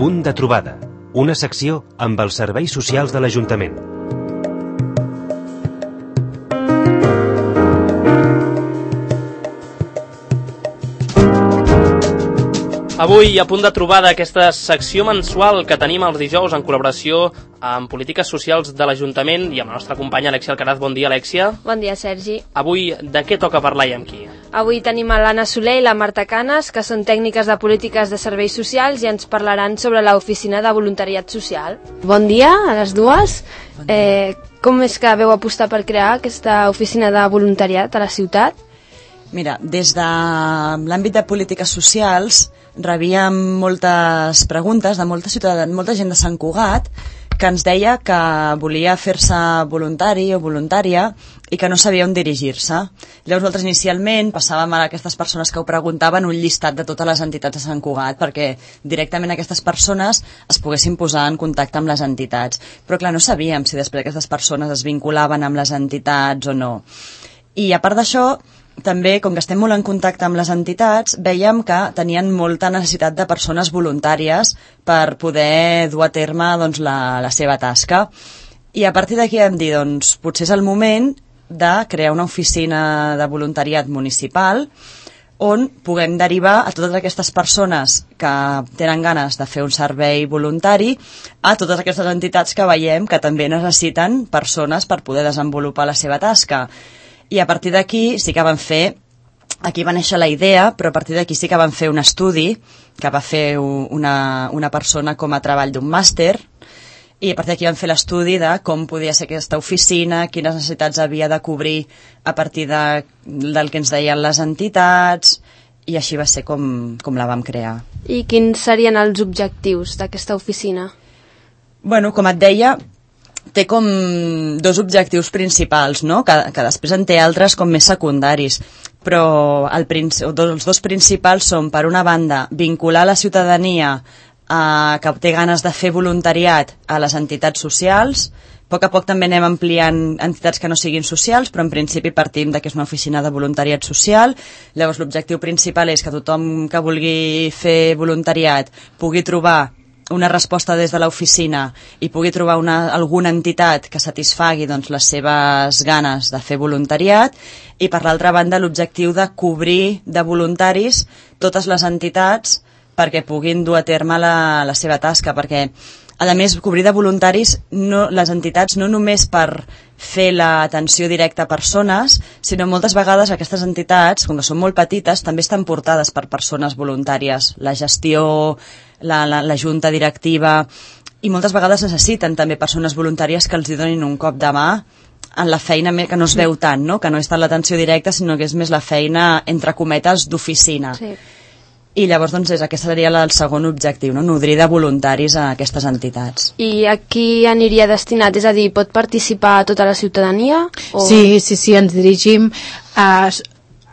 Punt de trobada, una secció amb els serveis socials de l'Ajuntament. Avui, a Punt de trobada, aquesta secció mensual que tenim els dijous en col·laboració amb polítiques socials de l'Ajuntament i amb la nostra companya Alexia Alcaraz. Bon dia, Alexia. Bon dia, Sergi. Avui, de què toca parlar i amb qui? Avui tenim a l'Anna Soler i la Marta Canes, que són tècniques de polítiques de serveis socials i ens parlaran sobre l'oficina de voluntariat social. Bon dia a les dues. Com és que veu apostar per crear aquesta oficina de voluntariat a la ciutat? Mira, des de l'àmbit de polítiques socials rebíem moltes preguntes de molta gent de Sant Cugat que ens deia que volia fer-se voluntari o voluntària i que no sabia on dirigir-se. Llavors nosaltres inicialment passàvem a aquestes persones que ho preguntaven un llistat de totes les entitats de Sant Cugat perquè directament aquestes persones es poguessin posar en contacte amb les entitats. Però clar, no sabíem si després aquestes persones es vinculaven amb les entitats o no. I a part d'això, també, com que estem molt en contacte amb les entitats, veiem que tenien molta necessitat de persones voluntàries per poder dur a terme doncs, la seva tasca. I a partir d'aquí vam dir, doncs, potser és el moment de crear una oficina de voluntariat municipal on puguem derivar a totes aquestes persones que tenen ganes de fer un servei voluntari a totes aquestes entitats que veiem que també necessiten persones per poder desenvolupar la seva tasca. I a partir d'aquí sí que van fer, aquí va néixer la idea, però a partir d'aquí sí que van fer un estudi que va fer una persona com a treball d'un màster, i a partir d'aquí van fer l'estudi de com podia ser aquesta oficina, quines necessitats havia de cobrir a partir del que ens deien les entitats, i així va ser com la vam crear. I quins serien els objectius d'aquesta oficina? Bueno, com et deia, té com dos objectius principals, no? que després en té altres com més secundaris, però els dos principals són, per una banda, vincular la ciutadania que té ganes de fer voluntariat a les entitats socials. A poc també anem ampliant entitats que no siguin socials, però en principi partim que és una oficina de voluntariat social. Llavors l'objectiu principal és que tothom que vulgui fer voluntariat pugui trobar una resposta des de l'oficina i pugui trobar alguna entitat que satisfagui doncs, les seves ganes de fer voluntariat, i per l'altra banda l'objectiu de cobrir de voluntaris totes les entitats perquè puguin dur a terme la seva tasca, perquè a més cobrir de voluntaris les entitats no només per fer l'atenció directa a persones, sinó moltes vegades aquestes entitats, com que són molt petites, també estan portades per persones voluntàries, la gestió, la junta directiva, i moltes vegades necessiten també persones voluntàries que els donin un cop de mà en la feina que no es veu tant, no? Que no és tant l'atenció directa, sinó que és més la feina, entre cometes, d'oficina. Sí. I llavors doncs, aquest seria el segon objectiu, no? Nodrir de voluntaris a aquestes entitats. I a qui aniria destinat? És a dir, pot participar tota la ciutadania? O... Sí, ens dirigim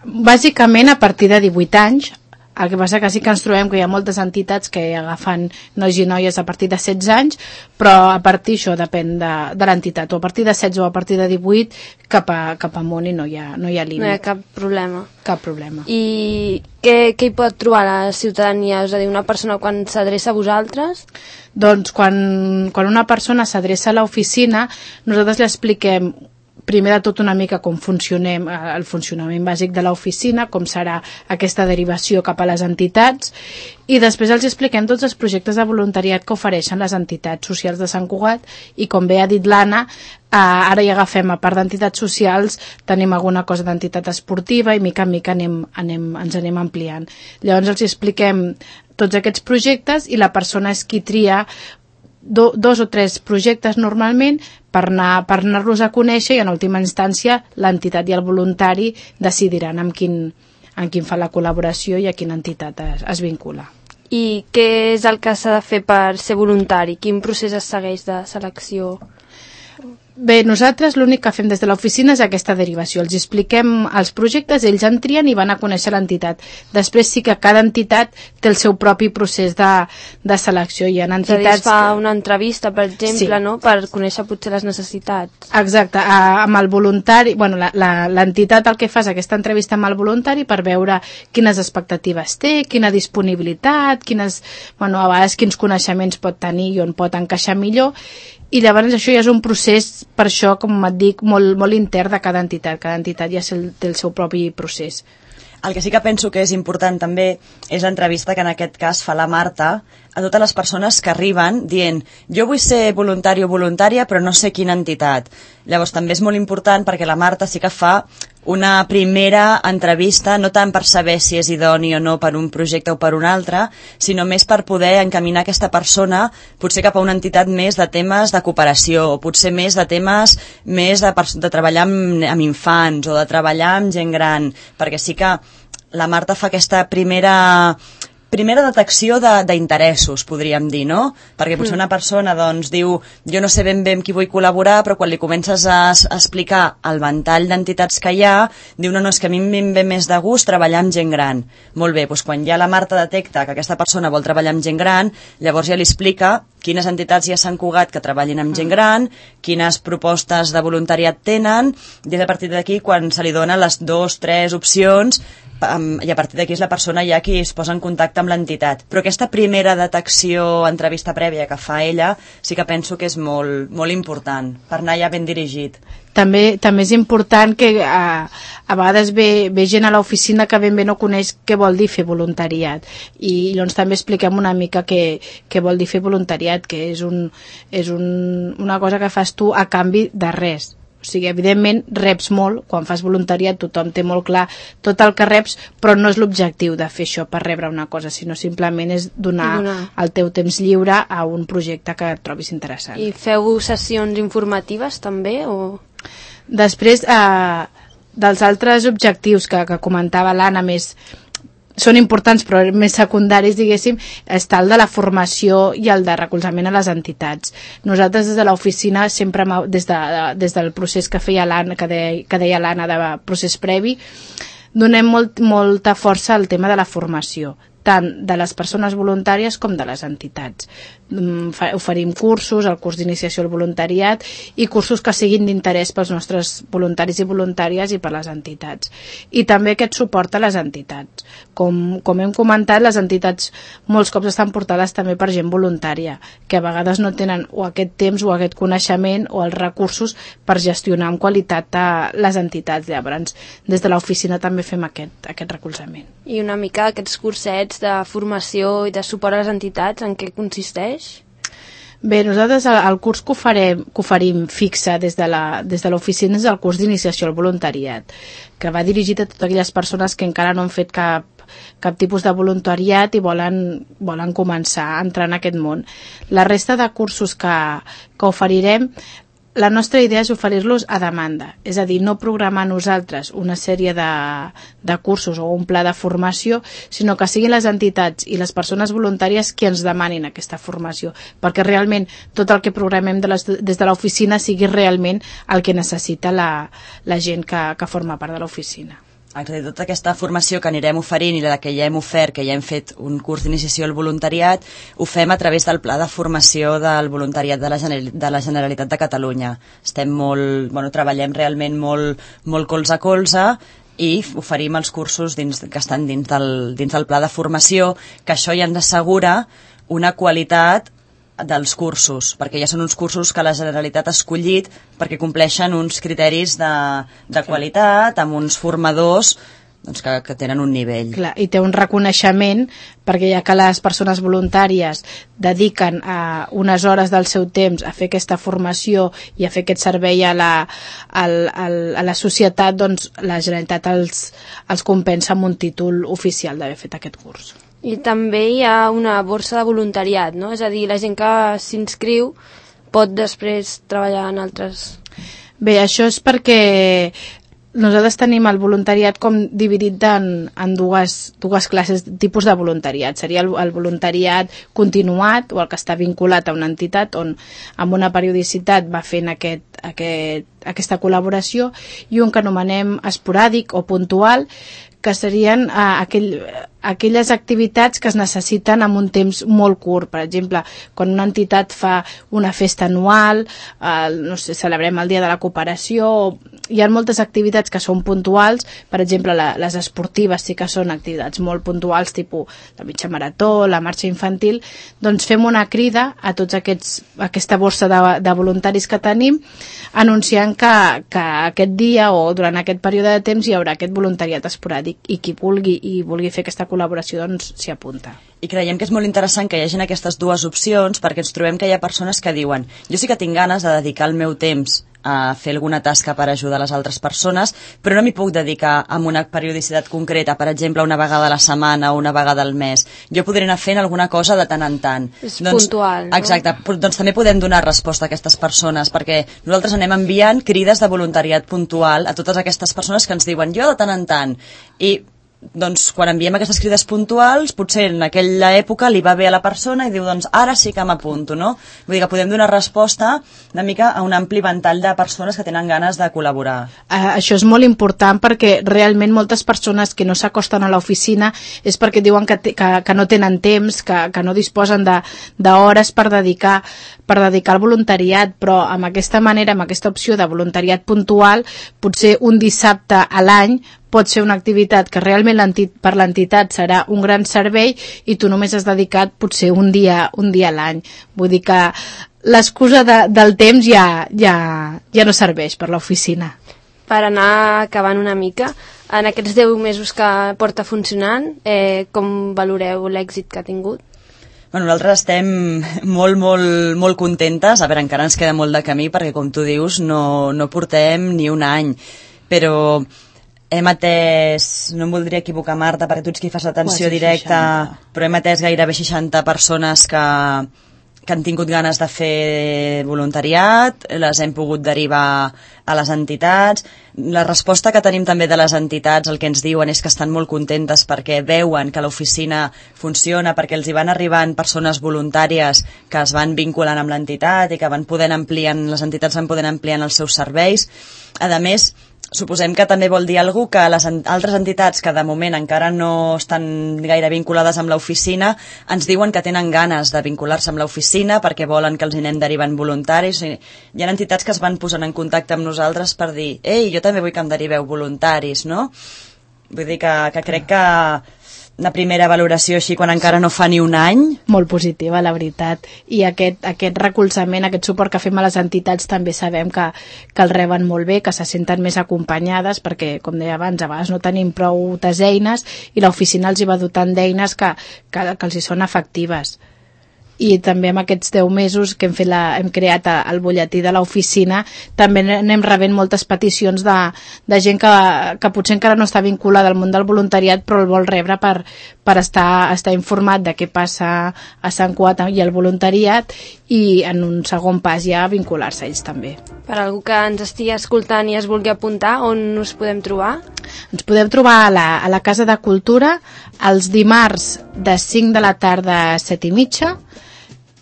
bàsicament a partir de 18 anys. El que passa que sí que ens trobem que hi ha moltes entitats que agafen nois i noies a partir de 16 anys, però a partir això depèn de l'entitat, o a partir de 16 o a parti de 18 cap amunt, i no hi ha límit. No hi ha cap problema. Cap problema. I què hi pot trobar la ciutadania? És a dir, una persona quan s'adreça a vosaltres? Doncs quan una persona s'adreça a l'oficina, nosaltres li expliquem primer de tot una mica com funcionem, el funcionament bàsic de l'oficina, com serà aquesta derivació cap a les entitats, i després els expliquem tots els projectes de voluntariat que ofereixen les entitats socials de Sant Cugat, i com bé ha dit l'Anna, ara hi agafem, a part d'entitats socials, tenim alguna cosa d'entitat esportiva, i mica en mica ens anem ampliant. Llavors els expliquem tots aquests projectes, i la persona és qui tria 2 o 3 projectes normalment per anar-los a conèixer, i en última instància l'entitat i el voluntari decidiran amb quin fa la col·laboració i a quina entitat es vincula. I què és el que s'ha de fer per ser voluntari? Quin procés es segueix de selecció? Bé, nosaltres l'únic que fem des de l'oficina és aquesta derivació. Els expliquem els projectes, ells en trien i van a conèixer l'entitat. Després sí que cada entitat té el seu propi procés de selecció. Hi ha entitats... Es fa una entrevista, per exemple, no? Per conèixer potser les necessitats. Exacte, amb el voluntari... Bueno, l'entitat el que fa és aquesta entrevista amb el voluntari per veure quines expectatives té, quina disponibilitat, a vegades quins coneixements pot tenir i on pot encaixar millor. I llavors això ja és un procés, per això, com et dic, molt intern de cada entitat. Cada entitat ja té el seu propi procés. El que sí que penso que és important també és l'entrevista que en aquest cas fa la Marta a totes les persones que arriben dient jo vull ser voluntari o voluntària però no sé quina entitat. Llavors també és molt important perquè la Marta sí que fa una primera entrevista, no tant per saber si és idoni o no per un projecte o per un altre, sinó més per poder encaminar aquesta persona potser cap a una entitat més de temes de cooperació o potser més de temes més de treballar amb infants o de treballar amb gent gran, perquè sí que la Marta fa aquesta primera detecció d'interessos, podríem dir, no? Perquè potser una persona doncs, diu jo no sé ben bé amb qui vull col·laborar, però quan li comences a explicar el ventall d'entitats que hi ha, diu no, és que a mi em ve més de gust treballar amb gent gran. Molt bé, doncs quan ja la Marta detecta que aquesta persona vol treballar amb gent gran, llavors ja li explica quines entitats ja s'han cugat que treballin amb gent gran, quines propostes de voluntariat tenen, i és a partir d'aquí quan se li donen les 2, 3 opcions, i a partir d'aquí és la persona ja qui es posa en contacte amb l'entitat. Però aquesta primera detecció, entrevista prèvia que fa ella, sí que penso que és molt, molt important, per anar ja ben dirigit. També és important que a vegades ve gent a l'oficina que ben bé no coneix què vol dir fer voluntariat i llavors també expliquem una mica què vol dir fer voluntariat, que és una cosa que fas tu a canvi de res. O sigui, evidentment reps molt, quan fas voluntariat tothom té molt clar tot el que reps, però no és l'objectiu de fer això per rebre una cosa, sinó simplement és donar el teu temps lliure a un projecte que et trobis interessant. I feu sessions informatives també? O... Després, dels altres objectius que comentava l'Anna, més són importants però més secundaris, diguéssim, està el de la formació i el de recolzament a les entitats. Nosaltres des de l'oficina sempre, des del procés que feia l'Anna, que deia l'Anna de procés previ, donem molta força al tema de la formació, tant de les persones voluntàries com de les entitats. Oferim cursos, el curs d'iniciació al voluntariat i cursos que siguin d'interès pels nostres voluntaris i voluntàries i per les entitats. I també aquest suport a les entitats. Com hem comentat, les entitats molts cops estan portades també per gent voluntària, que a vegades no tenen o aquest temps o aquest coneixement o els recursos per gestionar amb qualitat les entitats. Llavors, des de l'oficina també fem aquest recolzament. I una mica aquests cursets de formació i de suport a les entitats, en què consisteix? Bé, nosaltres el curs que oferim fixe des de l'oficina és el curs d'iniciació al voluntariat, que va dirigit a totes aquelles persones que encara no han fet cap tipus de voluntariat i volen començar a entrar en aquest món. La resta de cursos que oferirem, la nostra idea és oferir-los a demanda, és a dir, no programar nosaltres una sèrie de cursos o un pla de formació, sinó que siguin les entitats i les persones voluntàries qui ens demanin aquesta formació, perquè realment tot el que programem des de l'oficina sigui realment el que necessita la gent que forma part de l'oficina. Exacte, tota aquesta formació que anirem oferint i la que ja hem ofert, que ja hem fet un curs d'iniciació al voluntariat, ho fem a través del pla de formació del voluntariat de la Generalitat de Catalunya. Treballem realment molt colze a colze i oferim els cursos que estan dins del pla de formació, que això ja ens assegura una qualitat dels cursos, perquè ja són uns cursos que la Generalitat ha escollit perquè compleixen uns criteris de qualitat, amb uns formadors que tenen un nivell. Clar, i té un reconeixement, perquè ja que les persones voluntàries dediquen unes hores del seu temps a fer aquesta formació i a fer aquest servei a la societat, doncs la Generalitat els compensa amb un títol oficial d'haver fet aquest curs. I també hi ha una borsa de voluntariat, no? És a dir, la gent que s'inscriu pot després treballar en altres... Bé, això és perquè nosaltres tenim el voluntariat com dividit en dues classes, tipus de voluntariat. Seria el voluntariat continuat o el que està vinculat a una entitat on amb una periodicitat va fent aquesta col·laboració, i un que anomenem esporàdic o puntual, que serien aquelles activitats que es necessiten en un temps molt curt. Per exemple, quan una entitat fa una festa anual, no sé, celebrem el Dia de la Cooperació, hi ha moltes activitats que són puntuals. Per exemple, les esportives sí que són activitats molt puntuals, tipus la mitja marató, la marxa infantil. Doncs fem una crida a tots aquesta borsa de voluntaris que tenim, anunciant que aquest dia o durant aquest període de temps hi haurà aquest voluntariat esporàdic, i qui vulgui fer aquesta col·laboració doncs s'hi apunta. I creiem que és molt interessant que hi hagin aquestes dues opcions, perquè ens trobem que hi ha persones que diuen: jo sí que tinc ganes de dedicar el meu temps a fer alguna tasca per ajudar les altres persones, però no m'hi puc dedicar amb una periodicitat concreta, per exemple, una vegada a la setmana o una vegada al mes. Jo podré anar fent alguna cosa de tant en tant. És puntual, no? Exacte, doncs també podem donar resposta a aquestes persones, perquè nosaltres anem enviant crides de voluntariat puntual a totes aquestes persones que ens diuen jo de tant en tant, i doncs quan enviem aquestes crides puntuals, potser en aquella època li va bé a la persona i diu, doncs ara sí que m'apunto, no? Vull dir que podem donar resposta una mica a un ampli ventall de persones que tenen ganes de col·laborar. Això és molt important, perquè realment moltes persones que no s'acosten a l'oficina és perquè diuen que no tenen temps, que no disposen d'hores per dedicar al voluntariat, però amb aquesta manera, amb aquesta opció de voluntariat puntual, potser un dissabte a l'any pot ser una activitat que realment per l'entitat serà un gran servei, i tu només has dedicat potser un dia a l'any. Vull dir que l'excusa del temps ja no serveix per l'oficina. Per anar acabant una mica, en aquests 10 mesos que porta funcionant, com valoreu l'èxit que ha tingut? Bueno, nosaltres estem molt contentes. A veure, encara ens queda molt de camí, perquè com tu dius no portem ni un any, però hem atès, no em voldria equivocar, Marta, perquè tu ets qui fas l'atenció directa, 60. Però hem atès gairebé 60 persones que han tingut ganes de fer voluntariat, les hem pogut derivar a les entitats. La resposta que tenim també de les entitats, el que ens diuen és que estan molt contentes perquè veuen que l'oficina funciona, perquè els hi van arribant persones voluntàries que es van vinculant amb l'entitat i que les entitats van podent ampliant els seus serveis. A més, suposem que també vol dir alguna cosa que les altres entitats que de moment encara no estan gaire vinculades amb l'oficina ens diuen que tenen ganes de vincular-se amb l'oficina perquè volen que els anem derivant voluntaris. Hi ha entitats que es van posant en contacte amb nosaltres per dir, ei, jo també vull que em deriveu voluntaris, no? Vull dir que crec que una primera valoració així quan encara no fa ni un any. Molt positiva, la veritat. I aquest recolzament, aquest suport que fem a les entitats també sabem que el reben molt bé, que se senten més acompanyades, perquè, com deia abans, a vegades no tenim prou eines i l'oficina els hi va dotant d'eines que els hi són efectives. I també amb aquests 10 mesos que hem creat el butlletí de l'oficina també anem rebent moltes peticions de gent que potser encara no està vinculada al món del voluntariat, però el vol rebre per estar informat de què passa a Sant Cugat i el voluntariat, i en un segon pas ja vincular-se a ells també. Per algú que ens estigui escoltant i es vulgui apuntar, on us podem trobar? Ens podem trobar a la Casa de Cultura els dimarts de 5 de la tarda a 7:30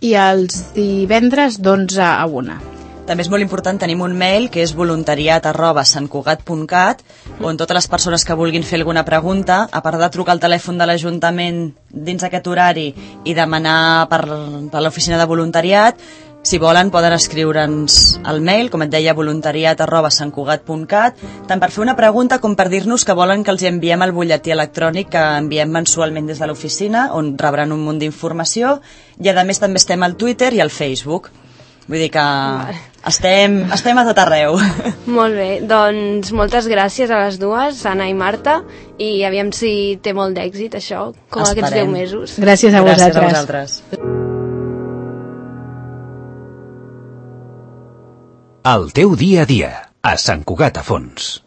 i els divendres d'11 a 1. També és molt important, tenim un mail que és voluntariat@santcugat.cat, on totes les persones que vulguin fer alguna pregunta, a part de trucar al telèfon de l'Ajuntament dins aquest horari i demanar per l'oficina de voluntariat, si volen poden escriure'ns al mail, com et deia, voluntariat@santcugat.cat, tant per fer una pregunta com per dir-nos que volen que els enviem el butlletí electrònic que enviem mensualment des de l'oficina, on rebran un munt d'informació, i a més també estem al Twitter i al Facebook. Vull dir que estem a tot arreu. Molt bé, doncs moltes gràcies a les dues, Anna i Marta, i aviam si té molt d'èxit això, com aquests 10 mesos. Gràcies a vosaltres. Gràcies a vosaltres. El teu dia a dia, a Sant Cugat a Fons.